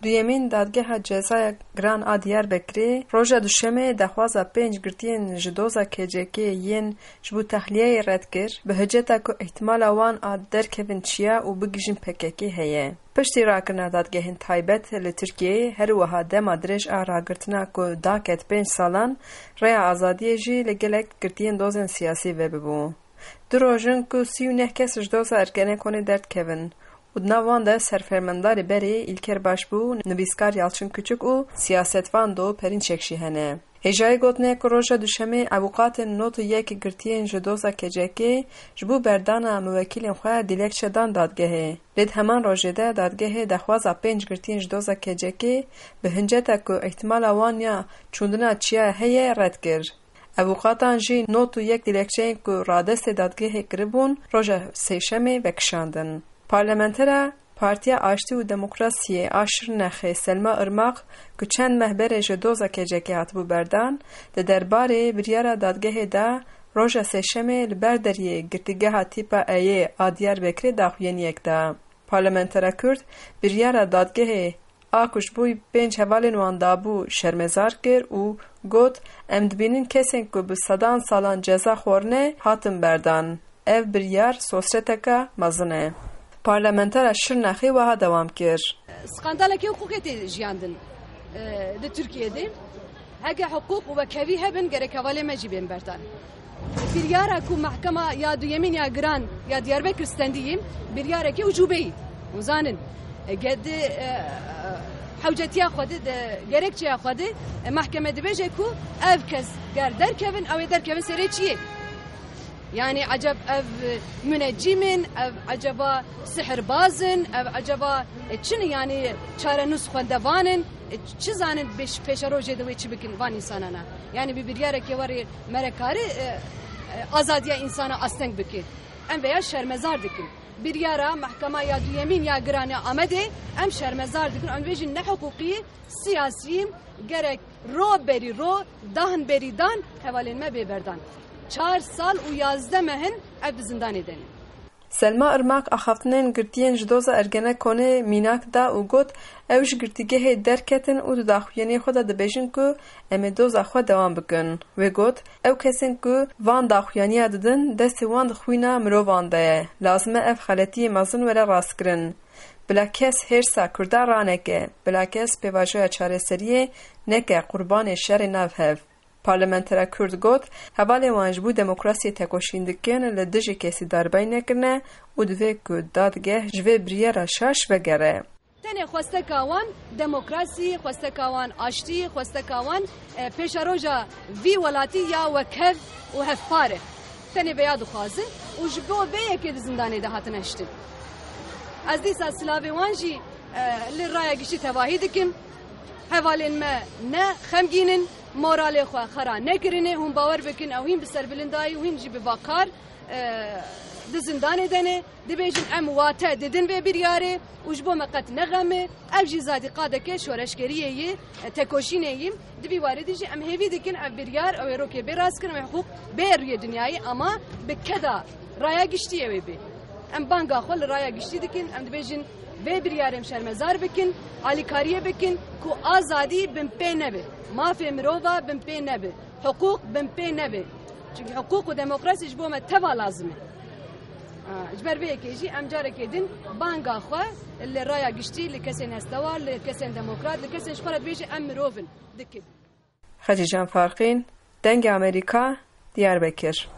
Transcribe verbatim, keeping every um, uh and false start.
Duyemîn Dadgeha Cezaya Giran a Diyarbekirê roja Duşemê daxwaza pênc girtiyên ji doza K C K yên ji bo tehliyeyê red kir, bi hiceta ku îhtimala wan a derkevin çiya û bigihîjin P K K heye. Piştî rakirina dadgehên taybet li Tirkiyeyê, her wiha dema dirêj a ragirtina ku daket pênc salan, rêya azadiyê jî li gelek girtiyên dozên siyasî vebibû. Du roj in ku sî û neh kes ji doza Ergenekonê derdikevin û di nav wan de serfermendarê berê Îlker Başbû, nivîskar Yalçın Küçük û siyasetvan do Perinçek jî hene. Hêjayî gotinê ku roja Duşemê avûkatên nod û yek girtiyên ji doza K C K ji bo berdana miwekîlên xwe dilekçe dan dadgehê. Lê di heman rojê de dadgehê daxwaza pênc girtiyên ji doza K C K bi hinceta ku îhtimala wan ya çûndina çiya heye red kir. Avûkatan jî nod û yek dilekçeyên ku radestê dadgehê kiribûn, roja Sêşemê vekişandin. Parlamentera Partiya Aştî û Demokrasiyê a Şirnexê Selma Irmak, ku çend meh berê ji doza K C K hatibû berdan, di derbarê biryara dadgehê de roja Sêşemê li ber deriyê girtîgeha tîpa Eyê a Diyarbekirê daxuyaniyek da. Parlamentera Kurd biryara dadgehê a ku ji bo pênc hevalên wan dabû şermezar kir û got, "Em dibînin kesên ku bi sedan salan ceza xwarine hatin berdan. Ev biryar sosreteke mezin e." Parlamentera Şirnexê wiha dewam kir. Skandalekê hiqûqê tê jiyandin, e, di Tirkiyê de. Heke hiqûq û wekhevî hebin, gerek hevalê me jî bên berdan. Biryara ku Mehkema ya Duyemîn ya Giran ya Diyarbekir stendiyî, biryarekî ucûbeyî. Hûn zanin, e, ge-, di, e, hewcetiya xwe de, di gerekçeya xwe de, e, mehkeme dibêje ku ev kes ger derkevin, ew ê derkevin serê çiyê? Yani eceb ev, e, munecîm in, ev eceba sihirbaz in, ev eceba, e, çi ne, yani çarenûs xwendevan in, e, çi zanin pêş-, pêşerojê de wê çi bikin van însanana? Yani bi biryareke werê me re kare, e, e, azadiya însana asteng bike. Em veya şermezar dikin. Biryara Mehkema ya Duyemîn ya Giran ya Amedê em şermezar dikin. Em dibêjin ne hiqûqî, siyasî, gerek ro berî ro, dan berî dan hevalên me bê berdan. Çar sal û yazdeh meh in ev di zindanê de ne. Selma Irmak axaftinên girtiyên ji doza Ergenekonê mînak da û got, "Ew ji girtîgehê derketin û di daxuyaniyê xwe de dibêjin ku em ê doza xwe dewam bikin." Wê got, "Ew kesên ku van daxuyaniya didin, destê wan di xwîna mirovan de ye. Lazim e ev xeletiyê mezin were rastkirin. Bila kes hêrsa Kurdan raneke, bila kes pêvajoya çareseriyê neke qurbanê şerê nav hev." Parlamentera Kurd got, hevalên wan ji bo demokrasiyê tekoşîn dikin, li dijî kesî darbayî nekirine û divê ku dadgeh ji vê biryara şaş vegere. Tenê xwesteka wan demokrasî, xwesteka wan aştî, xwesteka wan, e, pêşeroja vî welatî ya wekhev û hevpar e. Tenê vêya dixwazin û ji bo vê yekê di zindanê de hatine hiştin. Ez dîsa silavê wan jî, e, li raya giştî tevahî dikim. Hevalên me ne xemgîn in, moralê xwe xera nekirinê, hûn bawer bikin, ew hîn bi serbilindayî û hîn jî bi vakar, e, di zindanê de ne. Dibêjin, em wate didin vê biryarê û ji bo me qet ne xem e. Ev jî zadî qadeke şoreşgeriyê yê, e, tekoşînê yî. Di vî warê de jî em hêvî dikin ev biryar, ew ê rokê bê rastkirin, ew ê hiqûq bê rûyê dinyayê, ama bi keda raya giştî ew ê bê. Em banga xwe li raya giştî dikin, em dibêjin vê biryarê em şermezar bikin, alîkariyê bikin ku azadî binpê nebe, mafê mirova binpê nebe, hiqûq binpê nebe. Çimkî hiqûq û demokrasî ji bo me teva lazim e. A, ji ber vê yekê jî em carekê din banga xwe li raya giştî, li kesên hestewar, li kesên demokrat, li kesên ji xwe re dibêje em mirov in, dikin. Xecîcan Farqîn, Dengê Amerîka, Diyarbekir.